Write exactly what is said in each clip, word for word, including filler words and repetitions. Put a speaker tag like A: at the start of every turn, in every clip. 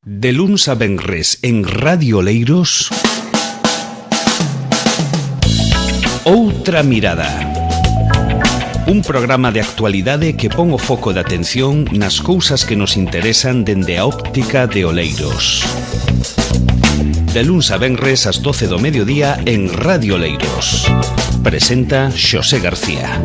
A: De luns a venres en Radio Oleiros, Outra Mirada. Un programa de actualidade que pon o foco de atención nas cousas que nos interesan dende a óptica de Oleiros. De luns a venres ás doce do mediodía en Radio Oleiros. Presenta Xosé García.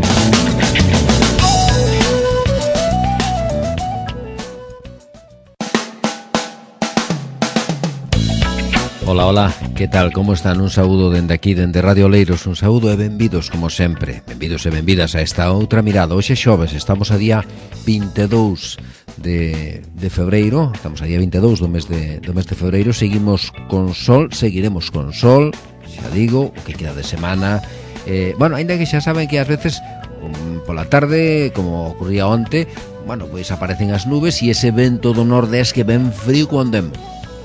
B: Ola, ola, que tal, como están? Un saúdo dende aquí, dende Radio Oleiros. Un saúdo e benvidos, como sempre. Benvidos e benvidas a esta outra mirada. Hoxe xoves, estamos a día vinte e dous de, de febreiro. Estamos a día vinte e dous do mes de, do mes de febreiro. Seguimos con sol, seguiremos con sol. Xa digo, o que queda de semana. Eh, bueno, ainda que xa saben que ás veces um, pola tarde, como ocurría onte, bueno, pois aparecen as nubes e ese vento do nordés que ven frío con demo.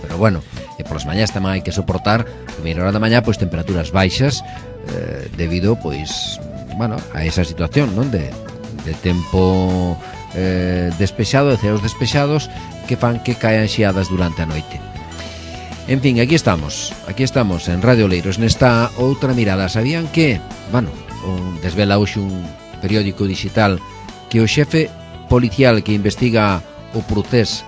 B: Pero bueno, e polas mañás tamén hai que soportar primeira hora da mañá pois temperaturas baixas eh, debido pois bueno, a esa situación, non, de, de tempo eh, despexado, de ceos despexados que fan que caen xiadas durante a noite. En fin, aquí estamos, aquí estamos en Radio Oleiros nesta outra mirada. Sabían que, bueno, un, desvela hoxe un periódico digital que o xefe policial que investiga o procés,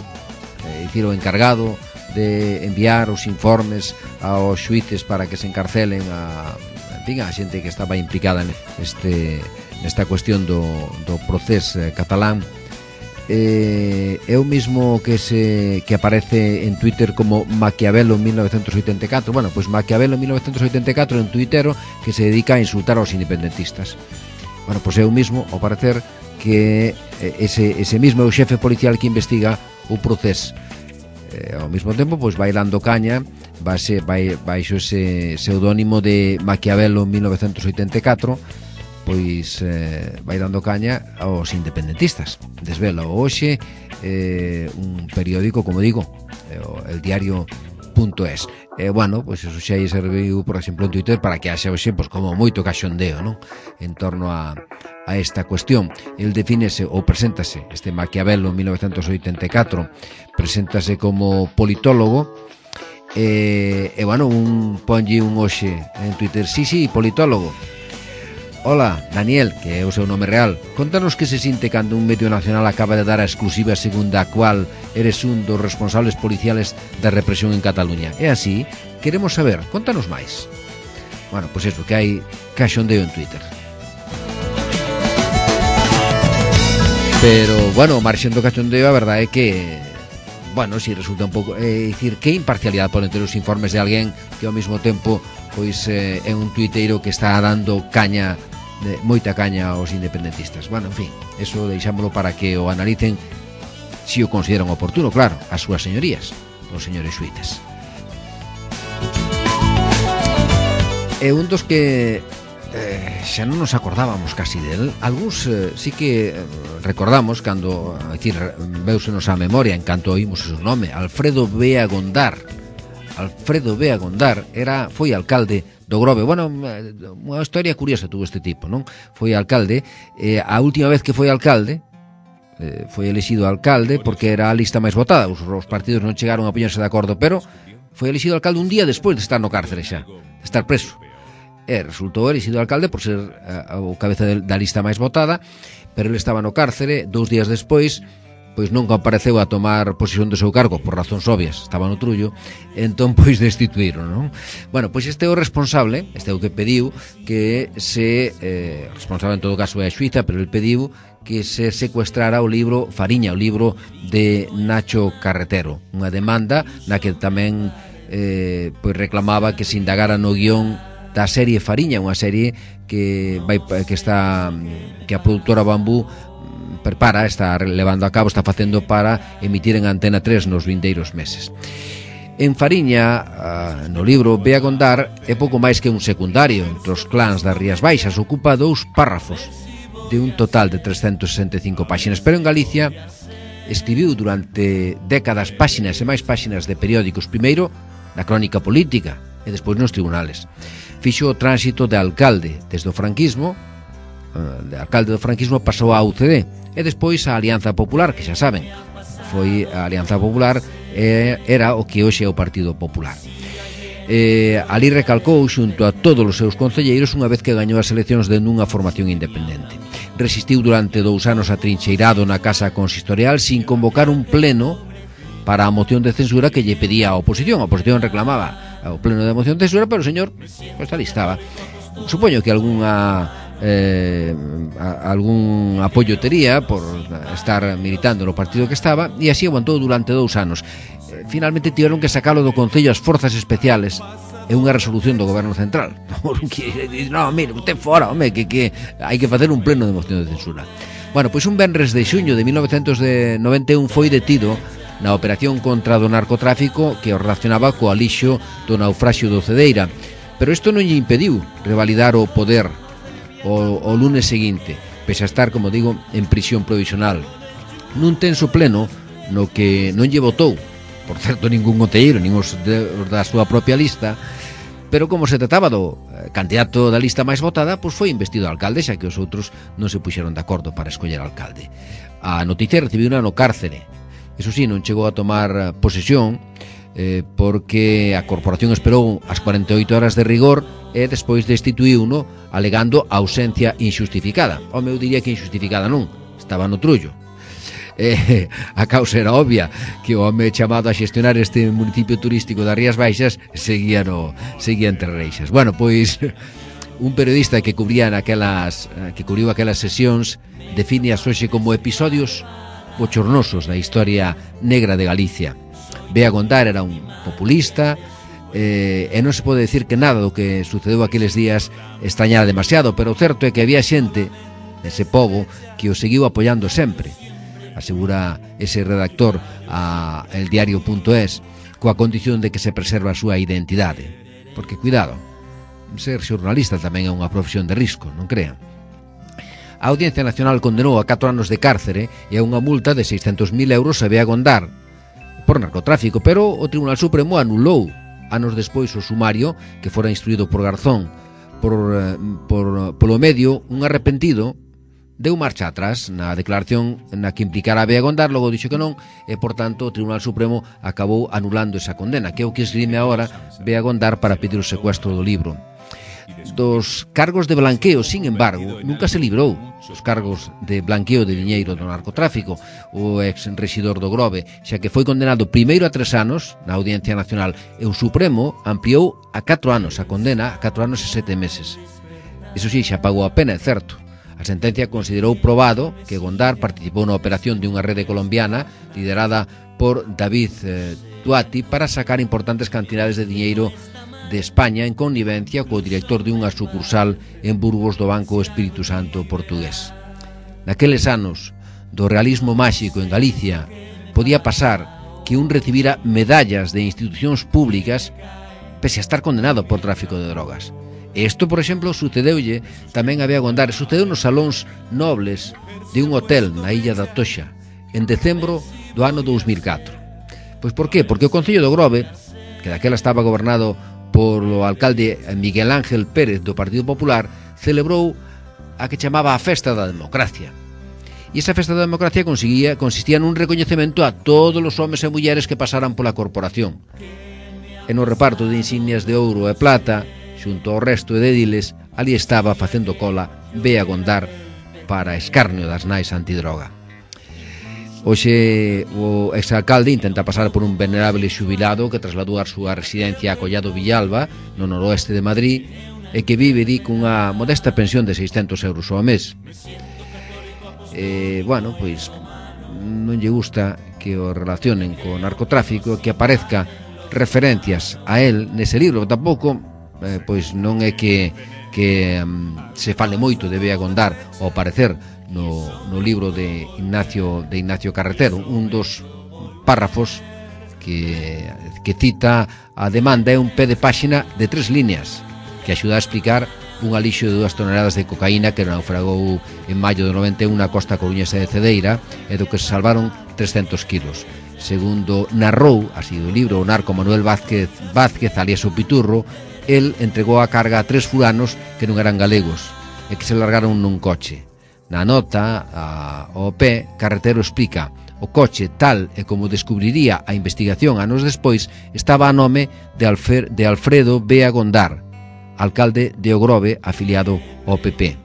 B: eh, dicir, o encargado de enviar os informes aos xuíces para que se encarcelen a, en fin, a xente que estaba implicada neste, nesta cuestión do, do procés eh, catalán, eh, é o mismo que se que aparece en Twitter como Maquiavelo en mil novecentos oitenta e catro. Bueno, pois Maquiavelo en mil novecentos oitenta e catro é un tuitero que se dedica a insultar aos independentistas. Bueno, pois é o mismo, ao parecer, que ese, ese mismo é o xefe policial que investiga o procés. Eh, ao mesmo tempo, pois vai dando caña base, vai, baixo ese pseudónimo de Maquiavelo en mil novecentos oitenta e catro, pois eh, vai dando caña aos independentistas. Desvela hoxe eh, un periódico, como digo, eh, el diario punto es. E, eh, bueno, pois eso xa serviu, por exemplo, en Twitter para que haxa hoxe, pois, como moito caxondeo, non? En torno a, a esta cuestión. El defínese ou preséntase, este Maquiavelo en mil novecentos oitenta e catro, preséntase como politólogo, e, e bueno, un ponlle un hoxe en Twitter, sí, sí, politólogo. Hola, Daniel, que é o seu nome real. Contanos que se sinte cando un medio nacional acaba de dar a exclusiva segunda a cual eres un dos responsables policiales da represión en Cataluña. É así? Queremos saber, contanos máis. Bueno, pois pues eso, que hai caxondeo en Twitter. Pero, bueno, marxen do cachondeo, a verdade é que, bueno, si resulta un pouco, é dicir, que imparcialidade poden ter os informes de alguén que ao mesmo tempo pois eh, é un tuiteiro que está dando caña, de, moita caña aos independentistas. Bueno, en fin, eso deixámoslo para que o analicen si o consideran oportuno, claro, as súas señorías, os señores xuíces. E un dos que eh, xa non nos acordábamos casi del, algúns eh, sí que eh, recordamos cando, é dicir, veusenos a memoria en canto oímos o seu nome, Alfredo Bea Gondar. Alfredo Bea Gondar era, foi alcalde do Grove. Bueno, unha historia curiosa tuvo este tipo, non? Foi alcalde, eh, a última vez que foi alcalde, eh, foi elexido alcalde porque era a lista máis votada. Os, os partidos non chegaron a poñerse de acordo, pero foi elexido alcalde un día despois de estar no cárcere xa, de estar preso. E resultou elexido alcalde por ser uh, o cabeza de, da lista máis votada, pero ele estaba no cárcere. Dous días despois, pois non compareceu a tomar posesión do seu cargo por razóns obvias, estaba no trullo, entón pois destituíron, non? Bueno, pois este é o responsable, este é o que pediu que se, eh, responsable en todo caso é a Xuiza, pero ele pediu que se secuestrara o libro Fariña, o libro de Nacho Carretero, unha demanda na que tamén eh, pois reclamaba que se indagara no guión da serie Fariña, unha serie que vai que está que a produtora Bambú prepara, está levando a cabo, está facendo para emitir en Antena tres nos vindeiros meses. En Fariña, no libro Bea Gondar, é pouco máis que un secundario entre os clans das Rías Baixas, ocupa dous párrafos de un total de trescentas sesenta e cinco páxinas, pero en Galicia escribiu durante décadas páxinas e máis páxinas de periódicos, primeiro na crónica política e despois nos tribunales. Fixo o tránsito de alcalde desde o franquismo, de alcalde do franquismo pasou á U C D e despois a Alianza Popular, que xa saben, foi a Alianza Popular eh, era o que hoxe é o Partido Popular. Eh, ali recalcou xunto a todos os seus concelleiros unha vez que gañou as eleccións dende unha formación independente. Resistiu durante dous anos atrincheirado na Casa Consistorial sin convocar un pleno para a moción de censura que lle pedía a oposición. A oposición reclamaba o pleno de moción de censura, pero o señor pues, ali estaba. Supoño que algunha eh, a, algún apoio tería por estar militando no partido que estaba, e así aguantou durante dous anos. Finalmente tiveron que sacalo do Concello as forzas especiales e unha resolución do Goberno Central. No, mire, usted fora, home, que, que hai que facer un pleno de moción de censura. Bueno, pois un venres de xuño de mil novecentos noventa e un foi detido na operación contra o narcotráfico que o relacionaba co alixo do naufraxio do Cedeira. Pero isto non lle impediu revalidar o poder o, o lunes seguinte, pese a estar, como digo, en prisión provisional. Nun tenso pleno no que non lle votou, por certo, ningún concelleiro, nin os de, da súa propia lista, pero como se trataba do candidato da lista máis votada, pois foi investido alcalde, xa que os outros non se puxeron de acordo para escoller alcalde. A noticia recibiu una no cárcere. Eso sí, non chegou a tomar posesión eh, porque a corporación esperou as cuarenta e oito horas de rigor e despois destituíu-no alegando ausencia injustificada. O meu diría que injustificada non, estaba no trullo. Eh, a causa era obvia, que o home chamado a xestionar este municipio turístico das Rías Baixas seguía, no, seguía entre reixas. Bueno, pois un periodista que cubría naquelas, que cubriu aquelas sesións define as hoxe como episodios bochornosos da historia negra de Galicia. Bea Gondar era un populista eh, e non se pode decir que nada do que sucedeu aqueles días extrañara demasiado, pero o certo é que había xente dese pobo que o seguiu apoiando sempre, asegura ese redactor a eldiario.es, coa condición de que se preserva a súa identidade. Porque, cuidado, ser xornalista tamén é unha profesión de risco, non crean. A Audiencia Nacional condenou a catro anos de cárcere e a unha multa de seiscentos mil euros a Bea Gondar por narcotráfico, pero o Tribunal Supremo anulou anos despois o sumario que fora instruído por Garzón. Por, por, polo medio, un arrepentido deu marcha atrás na declaración na que implicara a Bea Gondar, logo dixo que non, e, por tanto, o Tribunal Supremo acabou anulando esa condena, que é o que esgrime agora Bea Gondar para pedir o secuestro do libro. Dos cargos de blanqueo, sin embargo, nunca se librou. Os cargos de blanqueo de diñeiro do narcotráfico, o ex-rexidor do Grove, xa que foi condenado primeiro a tres anos na Audiencia Nacional, e o Supremo ampliou a catro anos a condena, a catro anos e sete meses. Iso sí, xa pagou a pena, é certo. A sentencia considerou probado que Gondar participou na operación de unha rede colombiana liderada por David eh, Duati para sacar importantes cantidades de diñeiro de España en connivencia co director de unha sucursal en Burgos do Banco Espírito Santo portugués. Naqueles anos do realismo máxico en Galicia podía pasar que un recibira medallas de institucións públicas pese a estar condenado por tráfico de drogas. E isto, por exemplo, sucedeulle tamén a Bea Gondar, sucedeu nos salóns nobles de un hotel na illa da Toxa en decembro do ano dous mil catro. Pois por qué? Porque o Concello do Grove, que daquela estaba gobernado por o alcalde Miguel Ángel Pérez do Partido Popular, celebrou a que chamaba a Festa da Democracia. E esa Festa da Democracia consistía, consistía nun recoñecemento a todos os homes e mulleres que pasaran pola corporación. E no reparto de insignias de ouro e plata, xunto ao resto de ediles, ali estaba facendo cola Bea Gondar para escarnio das nais antidroga. Hoxe o exalcalde intenta pasar por un venerable xubilado que trasladou a súa residencia a Collado Villalba, no noroeste de Madrid, e que vive di cunha modesta pensión de seiscentos euros ao mes. E, bueno, pois non lle gusta que o relacionen co narcotráfico, que aparezca referencias a él nese libro. Tampouco eh, pois non é que, que um, se fale moito de Bea Gondar ao parecer no, no libro de Ignacio, de Ignacio Carretero. Un dos párrafos que, que cita a demanda é un pé de páxina de tres líneas que axuda a explicar un alixo de dúas toneladas de cocaína que naufragou en maio de noventa e un na costa coruñesa de Cedeira e do que se salvaron trescentos kilos. Segundo narrou, así do libro, o narco Manuel Vázquez, Vázquez alias o Piturro, el entregou a carga a tres fulanos que non eran galegos e que se largaron nun coche. Na nota, a, ao pé, Carretero explica: O coche, tal e como descubriría a investigación anos despois, estaba a nome de, Alfer, de Alfredo Bea Gondar, alcalde de Ogrove, afiliado ao P P.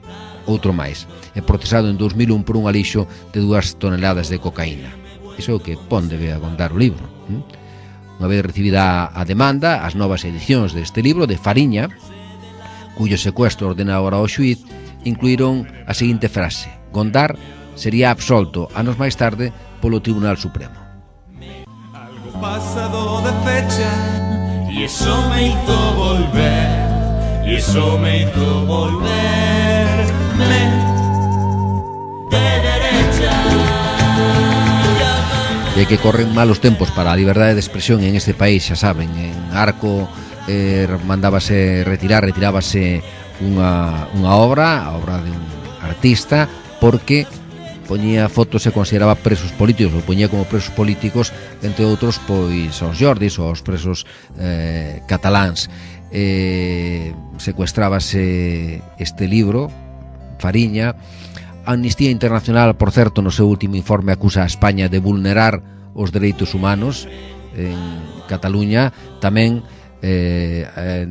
B: Outro máis, é procesado en dos mil un por un alixo de dúas toneladas de cocaína. Iso é o que pon de Bea Gondar o libro. Unha vez recibida a demanda, as novas edicións deste libro de Fariña, cuyo secuestro ordenado ahora ao xuíz, incluíron a seguinte frase: Gondar sería absolto anos máis tarde polo Tribunal Supremo.
C: Algo pasado de fecha y eso me hizo volver, y eso me hizo volverme de derecha.
B: E que corren malos tempos para a liberdade de expresión en este país, xa saben. En Arco eh, mandábase retirar, retirábase unha, unha obra, a obra de un artista, porque poñía fotos e consideraba presos políticos, ou poñía como presos políticos, entre outros, pois aos Jordis ou aos presos eh, cataláns. Eh, secuestrábase este libro, Fariña. Amnistía Internacional, por certo, no seu último informe acusa a España de vulnerar os dereitos humanos en Cataluña. Tamén Eh, eh,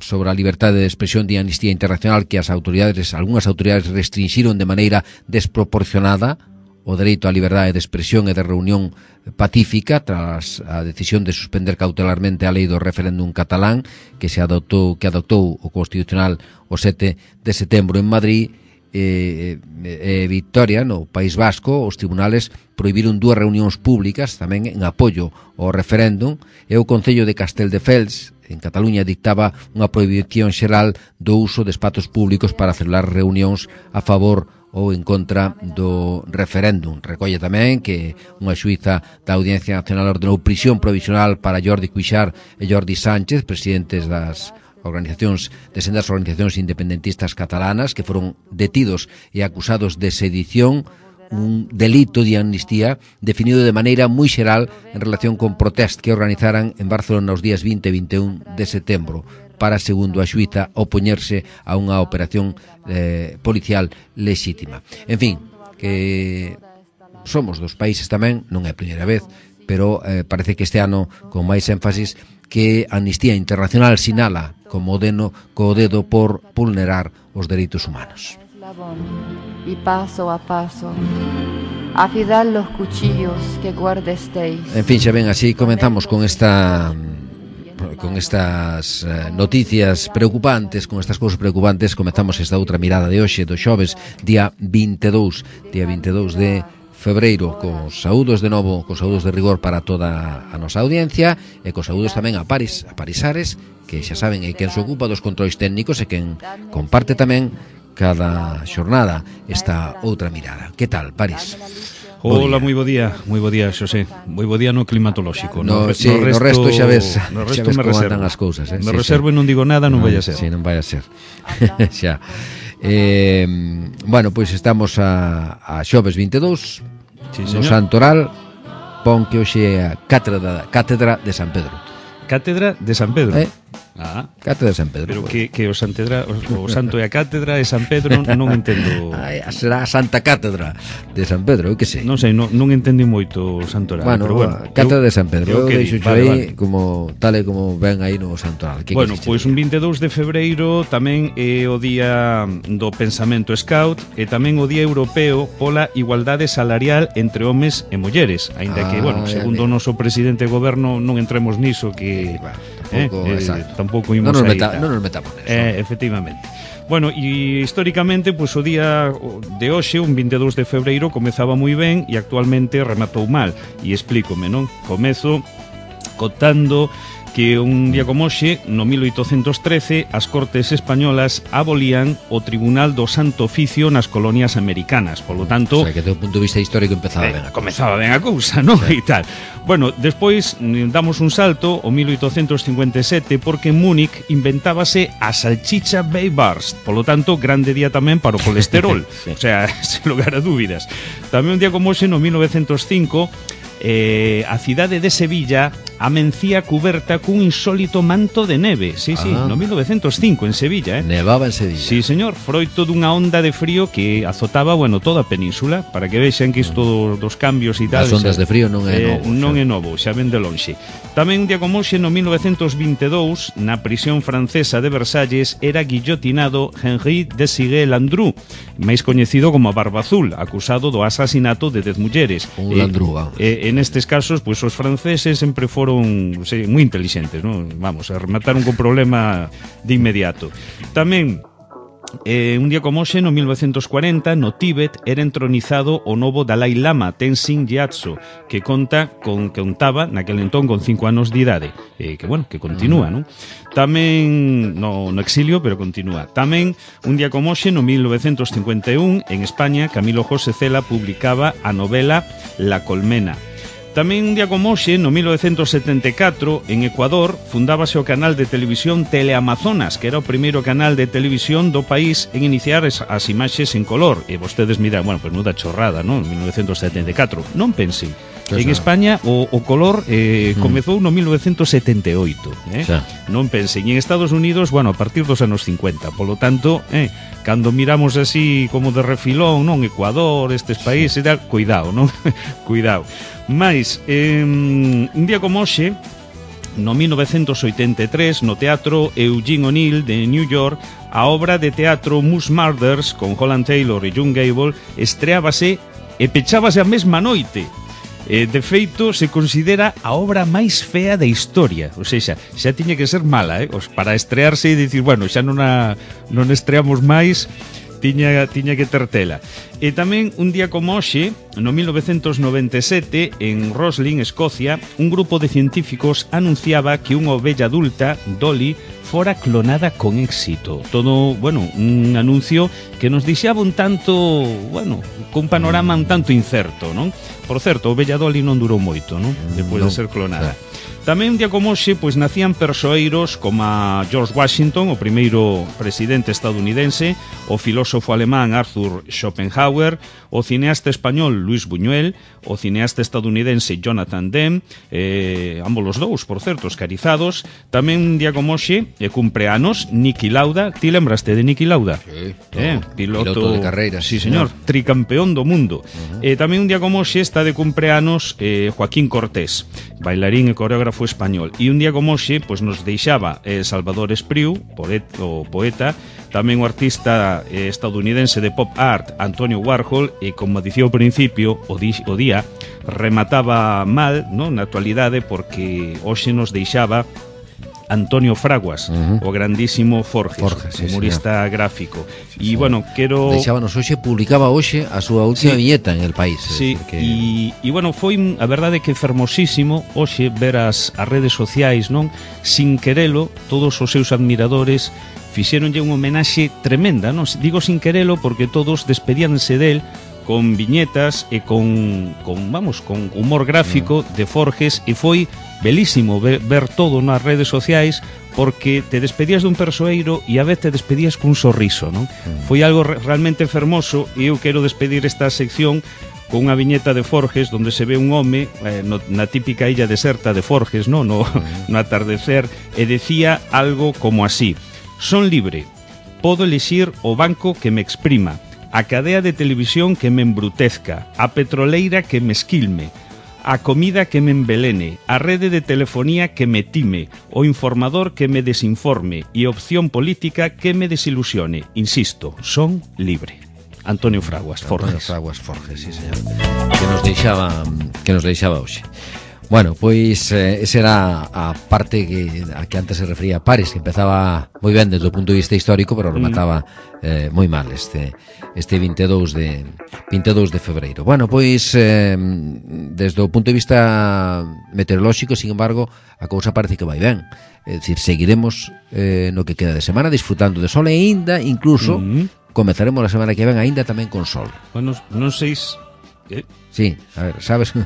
B: sobre a liberdade de expresión de Amnistía Internacional, que as autoridades, algunhas autoridades restringiron de maneira desproporcionada o dereito á liberdade de expresión e de reunión pacífica tras a decisión de suspender cautelarmente a lei do referéndum catalán que se adoptou, que adoptou o Constitucional o sete de setembro en Madrid. E, e, e Victoria, no País Vasco, os tribunales prohibiron dúas reunións públicas tamén en apoio ao referéndum, e o Concello de Casteldefels en Cataluña dictaba unha prohibición xeral do uso de espazos públicos para celebrar reunións a favor ou en contra do referéndum. Recolle tamén que unha xuíza da Audiencia Nacional ordenou prisión provisional para Jordi Cuixart e Jordi Sánchez, presidentes das organizacións, de sendas organizacións independentistas catalanas, que foron detidos e acusados de sedición, un delito de amnistía definido de maneira moi xeral en relación con protest que organizaran en Barcelona os días vinte e vinte e un de setembro para, segundo a xuíza, opoñerse a unha operación eh, policial lexítima. En fin, que somos dos países tamén, non é a primeira vez, pero eh, parece que este ano con máis énfasis, que Amnistía Internacional sinala como deno co dedo por vulnerar os dereitos humanos.
D: Y paso a paso, afilad los cuchillos que guardesteis.
B: En fin, xa ven, así comenzamos con esta con estas eh, noticias preocupantes, con estas cousas preocupantes. Comenzamos esta outra mirada de hoxe, do xoves, día vinte e dous, día vinte e dous de febreiro, cos saúdos de novo, cos saúdos de rigor para toda a nosa audiencia, e cos saúdos tamén a Paris, a Parisares, que xa saben é quen se ocupa dos controis técnicos e quen comparte tamén cada xornada esta outra mirada. Que tal, Paris?
E: Hola, moi bo día, moi bo día, Xosé. Moi bo día no climatolóxico.
B: No, no, sí, no, resto, no resto xa ves,
E: no resto
B: xa ves
E: me
B: como
E: reservo.
B: andan as cousas, eh?
E: Me
B: sí,
E: reservo
B: sí.
E: E non digo nada, non
B: no,
E: vai a ser.
B: Sí, non vai a ser. Xa. Eh, bueno, pois estamos a, a xoves vinte e dous,
E: sí,
B: no Santoral, pon que hoxe é a cátedra, cátedra de San Pedro.
E: Cátedra de San Pedro.
B: Eh?
E: Ah,
B: Cátedra de San Pedro.
E: pero
B: pues.
E: que, que o, Santedra, o, o santo é a cátedra e San Pedro non entendo.
B: Ay, será a Santa Cátedra de San Pedro, eu que sei.
E: Non sei, non, non entendi moito o santoral.
B: Bueno,
E: pero bueno,
B: Cátedra
E: eu,
B: de San Pedro, eu, eu deixo
E: vale,
B: aí
E: vale.
B: como tal e como ven aí no santoral. Que
E: Bueno, pois un vinte e dous de febreiro tamén é o día do pensamento scout e tamén o día europeo pola igualdade salarial entre homes e mulleres, aínda
B: Ah,
E: que, bueno, segundo o noso presidente de goberno non entremos niso que
B: bueno,
E: eh,
B: tampouco,
E: eh,
B: exacto.
E: tampouco imos
B: non nos,
E: aí,
B: meta,
E: tal.
B: non nos metamos neso.
E: Eh, efectivamente. Bueno, e históricamente, pois o día de hoxe, un vinte e dous de febreiro, comezaba moi ben e actualmente rematou mal. E explícome, non? Comezo contando que un día como hoxe, no mil oitocentos trece, as Cortes Españolas abolían o Tribunal do Santo Oficio nas colonias americanas. Polo tanto,
B: O sea, que do punto de vista histórico empezaba
E: eh,
B: ben a cousa.
E: comezaba ben a cousa, non? Sí. E tal. Bueno, despois damos un salto ao mil oitocentos cincuenta e sete porque en Múnich inventábase a salchicha Weihwurst. Polo tanto, grande día tamén para o colesterol.
B: Sí.
E: O sea, sen lugar a dúbidas. Tamén un día como hoxe, no mil novecentos cinco, eh, a cidade de Sevilla amencía cuberta cun insólito manto de neve. Sí, sí,
B: Ah.
E: no mil novecientos cinco en Sevilla, eh?
B: Nevaba en Sevilla.
E: Sí, señor, froito dunha onda de frío que azotaba, bueno, toda a península, para que vexan que isto dos cambios e tal.
B: As ondas
E: xa-
B: de frío non é
E: eh,
B: novo,
E: Non
B: xa.
E: é novo, xa ven de lonxe. Tamén un día como hoxe, no mil novecientos vinte e dous, na prisión francesa de Versalles, era guillotinado Henri Desigué Landru, máis coñecido como a Barba Azul, acusado do asasinato de dez mulleres.
B: Un Landru, vamos.
E: Eh, en estes casos, pues, os franceses sempre foron sei, moi intelixentes, ¿no? Vamos, a remataron con problema de inmediato. Tamén Eh, un día como hoxe, no mil novecientos cuarenta, no Tíbet era entronizado o novo Dalai Lama, Tenzin Gyatso, que conta con que contaba naquel entón con cinco anos de idade, eh, que bueno, que continúa, non? Tamén no, no exilio, pero continúa. Tamén un día como hoxe, no mil novecientos cincuenta e un, en España, Camilo José Cela publicaba a novela La Colmena. Tamén un día como hoxe, no mil novecientos setenta e catro, en Ecuador, fundábase o canal de televisión Teleamazonas, que era o primeiro canal de televisión do país en iniciar as, as imaxes en color. E vostedes miran, bueno, pues nuda chorrada, non? En mil novecientos setenta e catro. Non pensen.
B: Pues
E: En
B: no.
E: España o, o color eh,
B: Mm.
E: comezou no mil novecientos setenta e oito, eh?
B: Xa.
E: Non pensen. E en Estados Unidos, bueno, a partir dos anos cincuenta. Polo tanto, eh, cando miramos así como de refilón, non? Ecuador, estes países, e tal, cuidado, non? Cuidado. Mais, eh, un día como hoxe, no mil novecientos oitenta e tres, no Teatro Eugene O'Neill de New York, a obra de teatro Moose Murders, con Holland Taylor e John Gable, estreábase e pechábase a mesma noite. Eh, de feito, se considera a obra máis fea da historia. O seja, xa tiña que ser mala, eh? Os, para estrearse e dicir, bueno, xa non, a, non estreamos máis, tiña, tiña que ter tela. E tamén, un día como hoxe, no mil novecientos noventa e sete, en Roslin, Escocia, un grupo de científicos anunciaba que unha ovella adulta, Dolly, fora clonada con éxito. Todo, bueno, un anuncio que nos deixaba un tanto, bueno, con un panorama un tanto incerto, non? Por certo, a ovella Dolly non durou moito, non? Depois
B: Non,
E: de ser clonada. Tamén un día como hoxe, pois nacían persoeiros como a George Washington, o primeiro presidente estadounidense, o filósofo alemán Arthur Schopenhauer, o cineasta español Luis Buñuel, o cineasta estadounidense Jonathan Demme, eh, ambos os dous, por certo, escarizados. Tamén un día como hoxe, e cumpre anos, Niki Lauda. Ti lembraste de Niki Lauda?
B: Sí,
E: Eh,
B: no,
E: piloto,
B: piloto de carreiras,
E: sí,
B: sí,
E: señor,
B: señor.
E: tricampeón do mundo. Uh-huh. eh, tamén un día como hoxe está de cumpleanos eh, Joaquín Cortés, bailarín e coreógrafo español. E un día como hoxe, pois nos deixaba eh, Salvador Espriu, poeta, o poeta, tamén o artista eh, estadounidense de pop art Antonio Warhol, e como dicía ao principio, o, di, o día remataba mal, non, na actualidade, porque hoxe nos deixaba Antonio Fraguas,
B: Uh-huh.
E: o grandísimo Forges,
B: Forges, sí,
E: humorista gráfico.
B: Sí,
E: E, bueno, quero...
B: Deixábanos hoxe, publicaba hoxe a súa última
E: Sí.
B: viñeta en El País. eh,
E: Sí,
B: porque...
E: e, e bueno, foi a verdade que fermosísimo hoxe ver as, as redes sociais, non? Sin querelo, todos os seus admiradores fixéronlle unha homenaxe tremenda, non? Digo sin querelo porque todos despedíanse del con viñetas e con, con vamos, con humor gráfico de Forges, e foi belísimo ver, ver todo nas redes sociais, porque te despedías dun persoeiro e a vez te despedías cun sorriso, non? Foi algo re realmente fermoso, e eu quero despedir esta sección con unha viñeta de Forges onde se ve un home eh, no, na típica illa deserta de Forges, no, no, no atardecer, e decía algo como así: son libre, podo elixir o banco que me exprima, a cadea de televisión que me embrutezca, a petroleira que me esquilme, a comida que me envelene, a rede de telefonía que me time, o informador que me desinforme e opción política que me desilusione. Insisto, son libre. Antonio Fraguas,
B: Antonio
E: Forges.
B: Fraguas Forges, sí, señor. Que nos deixaba que nos deixaba hoxe. Bueno, pois eh, esa era a parte que a que antes se refería a Paris, que empezaba moi ben desde o punto de vista histórico, pero remataba eh, moi mal este este vinte e dous de febreiro. Bueno, pois eh, desde o punto de vista meteorolóxico, sin embargo, a cousa parece que vai ben. É dicir, seguiremos eh, no que queda de semana disfrutando de sol, e aínda incluso
E: Mm.
B: comezaremos a semana que ven aínda tamén con sol.
E: Bueno, non sei se... ¿Qué?
B: Sí, a ver, sabes?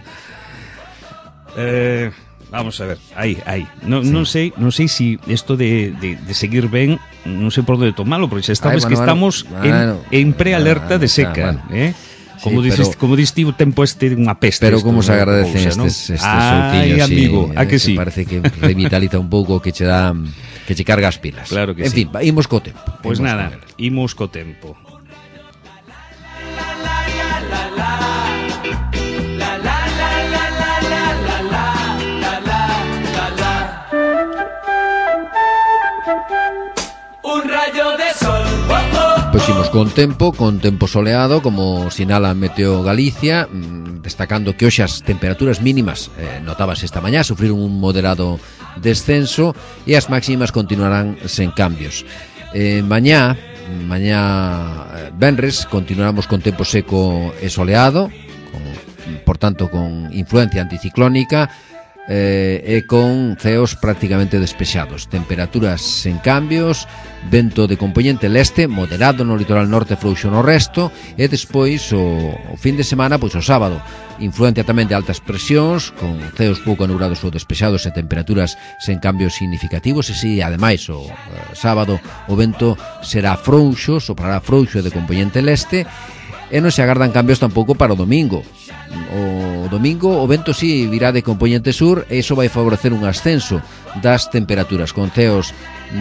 E: Eh, vamos a ver, aí, aí. Non, sí. non sei, non sei si isto de, de, de seguir ben, non sei por onde tomalo, porque xa estamos
B: Ay, bueno,
E: que estamos
B: bueno,
E: en,
B: bueno,
E: en prealerta
B: bueno,
E: de seca,
B: bueno.
E: eh? Como
B: sí,
E: dices,
B: pero,
E: como diste o tempo este unha peste.
B: Pero como se
E: no,
B: agradecen
E: cousa,
B: estes, estes
E: Ai,
B: soltiños,
E: amigo,
B: sí,
E: a que
B: eh,
E: sí?
B: Parece que revitaliza un pouco, que che dá, que che carga as pilas.
E: Claro que
B: en
E: sí.
B: fin, imos co tempo.
E: Pois
B: imos
E: nada,
B: con el.
E: imos co tempo.
C: Un rayo de sol. Oh, oh.
B: Pois imos con tempo, con tempo soleado, como sinala Meteo Galicia, destacando que hoxe as temperaturas mínimas eh, notabas esta mañá, sufriron un moderado descenso e as máximas continuarán sen cambios. Eh, mañá, mañá venres, continuamos con tempo seco e soleado, con, por tanto con influencia anticiclónica, eh, e con ceos prácticamente despexados, temperaturas sen cambios, vento de compoñente leste moderado no litoral norte, frouxo no resto, e despois o, o fin de semana, pois o sábado, influencia tamén de altas presións, con ceos pouco anulados ou despexados e temperaturas sen cambios significativos, e si ademais o eh, sábado o vento será frouxo, soprará frouxo de compoñente leste, e non se agardan cambios tampouco para o domingo. O domingo o vento si virá de compoñente sur e iso vai favorecer un ascenso das temperaturas, con ceos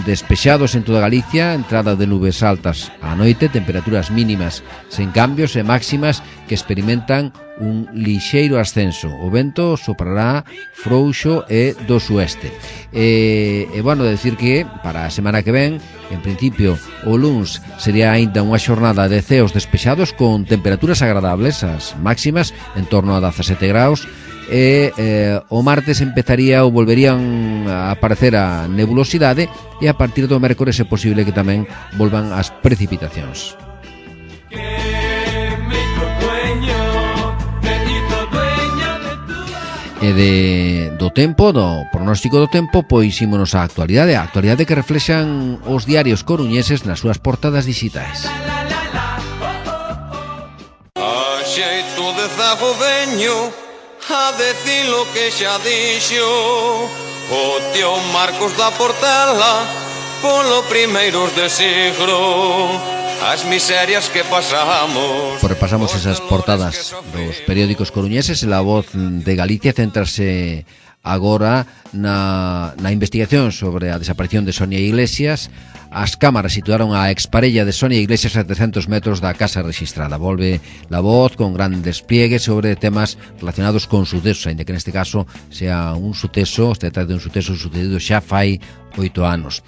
B: despexados en toda Galicia, entrada de nubes altas á noite, temperaturas mínimas sen cambios e máximas que experimentan un lixeiro ascenso. O vento soprará frouxo e do sueste. E, e bueno, decir que para a semana que ven, en principio o luns sería aínda unha xornada de ceos despexados con temperaturas agradables, as máximas en torno a dezasete graus, e eh, o martes empezaría ou volverían a aparecer a nebulosidade, e a partir do mércores é posible que tamén volvan as precipitacións. E de, do tempo, do pronóstico do tempo, pois ímonos á actualidade, a actualidade que reflexan os diarios coruñeses nas súas portadas digitais.
F: A xeito de zago veño a decir lo que xa dixo o tío Marcos da Portela polo primeiros de siglo, as miserias que pasamos.
B: Pues repasamos esas portadas dos periódicos coruñeses e La Voz de Galicia centrase agora na, na investigación sobre a desaparición de Sonia Iglesias. As cámaras situaron a exparella de Sonia Iglesias a trescentos metros da casa registrada. Volve La Voz con gran despliegue sobre temas relacionados con sucesos, ainda que neste caso sea un suceso, se trata de un suceso sucedido xa fai oito anos.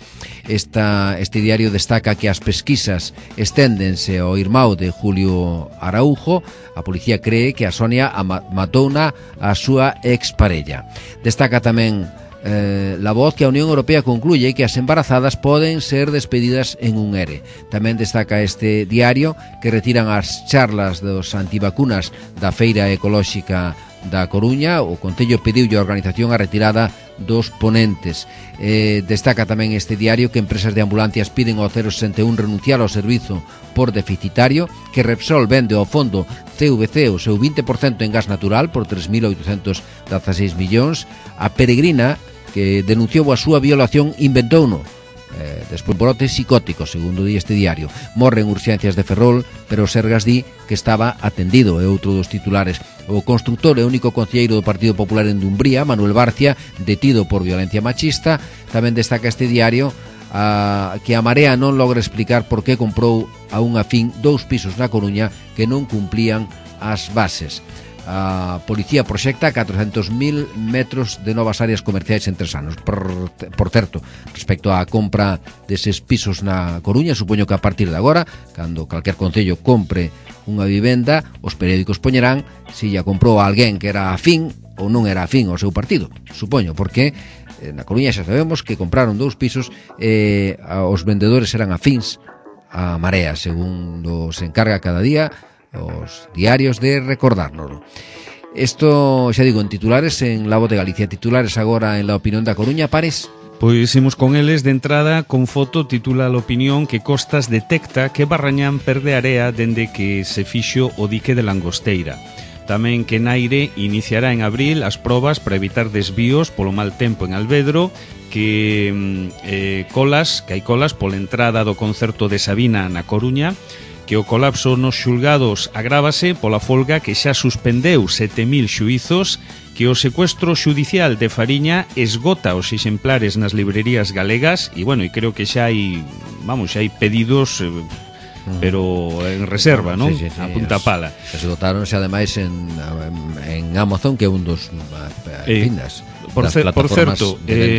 B: Esta, este diario destaca que as pesquisas esténdense ao irmão de Julio Araujo. A policía cree que a Sonia matouna a súa exparella. Destaca tamén Eh, La Voz que a Unión Europea concluye que as embarazadas poden ser despedidas en un ERE. Tamén destaca este diario que retiran as charlas dos antivacunas da Feira Ecolóxica da Coruña. O Concello pediulle a organización a retirada dos ponentes. Eh, destaca tamén este diario que empresas de ambulancias piden ao cero sesenta e un renunciar ao servizo por deficitario, que Repsol vende ao fondo C V C o seu vinte por cento en gas natural por tres mil oitocentos dezaseis millóns. A Peregrina, que denunciou a súa violación, inventouno eh, despois brote psicótico, segundo di este diario. Morre en urxencias de Ferrol, pero Sergas di que estaba atendido. É outro dos titulares. O constructor e único concelleiro do Partido Popular en Dumbría, Manuel Barcia, detido por violencia machista. Tamén destaca este diario a, que a Marea non logra explicar por que comprou a unha fin dous pisos na Coruña que non cumplían as bases. A policía proxecta catrocentos mil metros de novas áreas comerciais en tres anos. Por, por certo, respecto á compra deses pisos na Coruña, supoño que a partir de agora, cando calquer concello compre unha vivenda, os periódicos poñerán se ya comprou a alguén que era afín ou non era afín ao seu partido, supoño, porque na Coruña xa sabemos que compraron dous pisos e eh, os vendedores eran afíns a Marea, segundo se encarga cada día os diarios de recordárnoslo. Isto, xa digo, en titulares en La Voz de Galicia. Titulares agora en La Opinión da Coruña. Pares?
E: Pois imos con eles de entrada. Con foto titula La Opinión que Costas detecta que Barrañán perde area dende que se fixo o dique de Langosteira. Tamén que Naire iniciará en abril as probas para evitar desvíos polo mal tempo en Alvedro, que eh, colas, que hai colas pola entrada do concerto de Sabina na Coruña, que o colapso nos xulgados agrávase pola folga que xa suspendeu sete mil xuizos, que o secuestro xudicial de Fariña esgota os exemplares nas librerías galegas e, bueno, e creo que xa hai, vamos, xa hai pedidos, eh, pero en reserva, non?
B: Sí, sí, sí,
E: a punta pala.
B: Esgotaronse ademais en, en Amazon, que é un dos
E: eh,
B: pindas.
E: Por, ce, por certo, eh,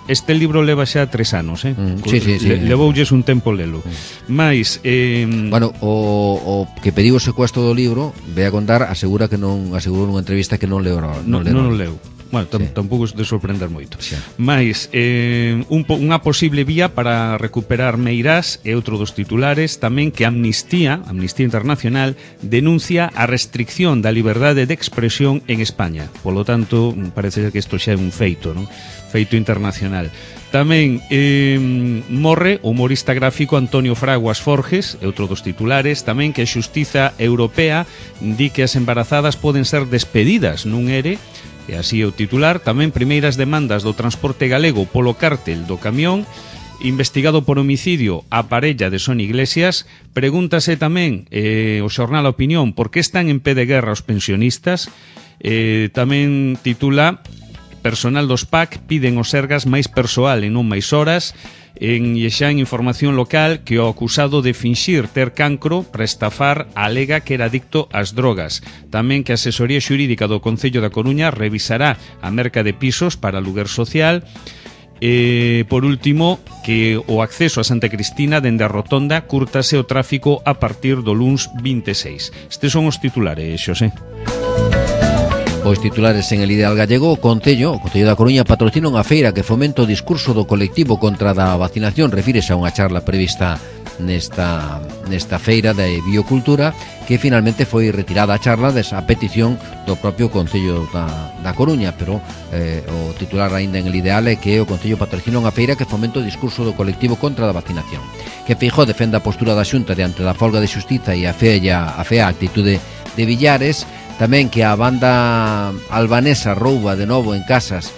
E: este libro leva xa tres anos, eh?
B: Mm, sí, sí, sí.
E: Le, levoulles un tempo lelo. Mm. Mais, eh,
B: bueno, o, o que pediu o secuestro do libro, ve a contar, asegura que non, asegurou nunha entrevista que non leu, non,
E: non, non, non leu. Bueno, tam, sí. tampouco de sorprender moito. Sí. Mais, eh, un, unha posible vía para recuperar Meirás é outro dos titulares, tamén que Amnistía, Amnistía Internacional, denuncia a restricción da liberdade de expresión en España. Polo tanto, parece que isto xa é un feito, non? Feito internacional. Tamén eh, morre o humorista gráfico Antonio Fraguas Forges, é outro dos titulares, tamén que a Xustiza Europea di que as embarazadas poden ser despedidas nun ere. E así é o titular. Tamén primeiras demandas do transporte galego polo cártel do camión. Investigado por homicidio a parella de Son Iglesias. Pregúntase tamén eh, o xornal A Opinión por que están en pé de guerra os pensionistas. eh, Tamén titula: personal dos P A C piden os Sergas máis persoal e non máis horas. En xa en información local que o acusado de finxir ter cancro para estafar alega que era adicto ás drogas. Tamén que a asesoría xurídica do Concello da Coruña revisará a merca de pisos para aluguer social. E, por último, que o acceso a Santa Cristina dende a rotonda curtase o tráfico a partir do luns vinte e seis. Estes son os titulares, Xosé.
B: Os titulares en el Ideal Gallego. O Concello, o Concello da Coruña patrocina unha feira que fomenta o discurso do colectivo contra da vacinación. Refírese a unha charla prevista nesta, nesta feira de biocultura, que finalmente foi retirada a charla desa petición do propio Concello da, da Coruña, pero eh, o titular aínda en el Ideal é que o Concello patrocina unha feira que fomenta o discurso do colectivo contra da vacinación. Que Feijóo defende a postura da Xunta diante da folga de xustiza e a fea, a fea actitude de Villares. Tamén que a banda albanesa rouba de novo en casas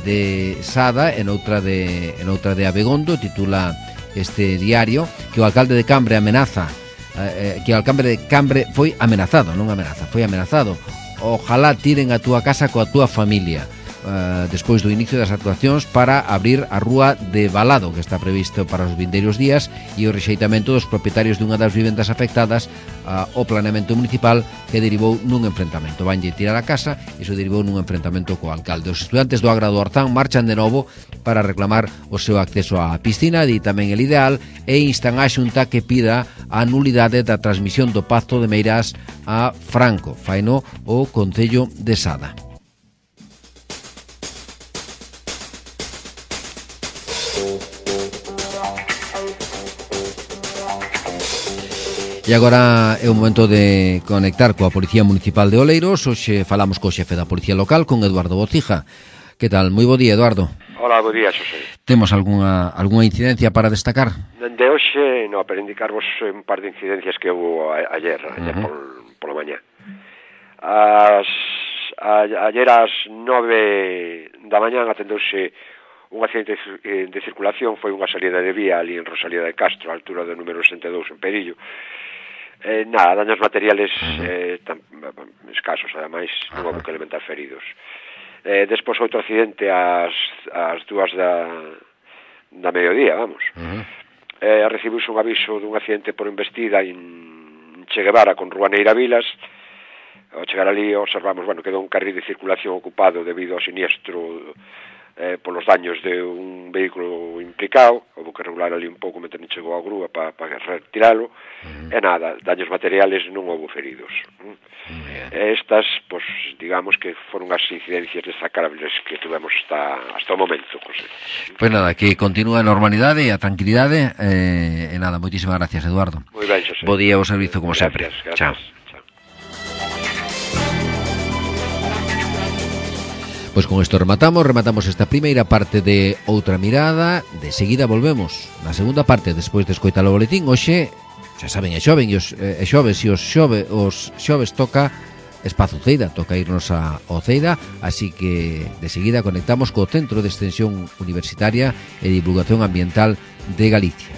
B: de Sada, en outra de, en outra de Abegondo. Titula este diario que o alcalde de Cambre amenaza eh, que o alcalde de Cambre foi amenazado, non amenaza, foi amenazado. Ojalá tiren a túa casa coa túa familia. Uh, despois do inicio das actuacións para abrir a rúa de Balado, que está previsto para os vindeiros días, e o rexeitamento dos propietarios dunha das vivendas afectadas uh, ao planeamento municipal, que derivou nun enfrentamento. Vanlle tirar a casa e iso derivou nun enfrentamento co alcalde. Os estudantes do Agra do Orzán marchan de novo para reclamar o seu acceso á piscina, di tamén el Ideal, e instan á Xunta que pida a nulidade da transmisión do Pacto de Meirás a Franco. Faino o Concello de Sada. E agora é o momento de conectar coa Policía Municipal de Oleiros. Hoxe falamos co xefe da Policía Local, con Eduardo Bocija. Que tal? Moi bo día, Eduardo.
G: Hola, bo día, Xosé.
B: Temos algunha, algunha incidencia para destacar?
G: De hoxe, no, para indicarvos un par de incidencias que houve a, ayer, uh-huh. ayer por, pola mañá. As, a, ayer ás nove da mañán atendeuse un accidente de, de circulación. Foi unha salida de vía ali en Rosalía de Castro, a altura do número sesenta e dous en Perillo. Eh, nada, daños materiales eh, tan, escasos, ademais non houve que elementar feridos. Eh, despois outro accidente ás, ás dúas da, da mediodía, vamos. Uh-huh. Eh, recibiuse un aviso dun accidente por embestida en Che Guevara con Ruaneira Vilas. Ao chegar ali observamos, bueno, quedou un carril de circulación ocupado debido ao siniestro eh, polos daños de un vehículo implicado. Houve que regular ali un pouco mentre non chegou a grúa para pa retiralo. Uh-huh. E nada, daños materiales non houve feridos. Uh-huh. Uh-huh. Estas, pues, digamos que foron as incidencias destacables que tuvemos hasta, hasta o momento, José.
B: Pois nada, que continúa a normalidade e a tranquilidade. Eh, e nada, moitísimas gracias, Eduardo.
G: Moi ben, José.
B: Bo día ao servizo, como
G: gracias,
B: sempre.
G: Gracias.
B: Chao. Pois con isto rematamos, rematamos esta primeira parte de Outra Mirada. De seguida volvemos na segunda parte, despois de escoitar o boletín. Hoxe, xa saben, é xoven e os é xoves e os xove, os xoves toca Espazo Ceida, toca irnos a o Ceida, así que de seguida conectamos co Centro de Extensión Universitaria e Divulgación Ambiental de Galicia.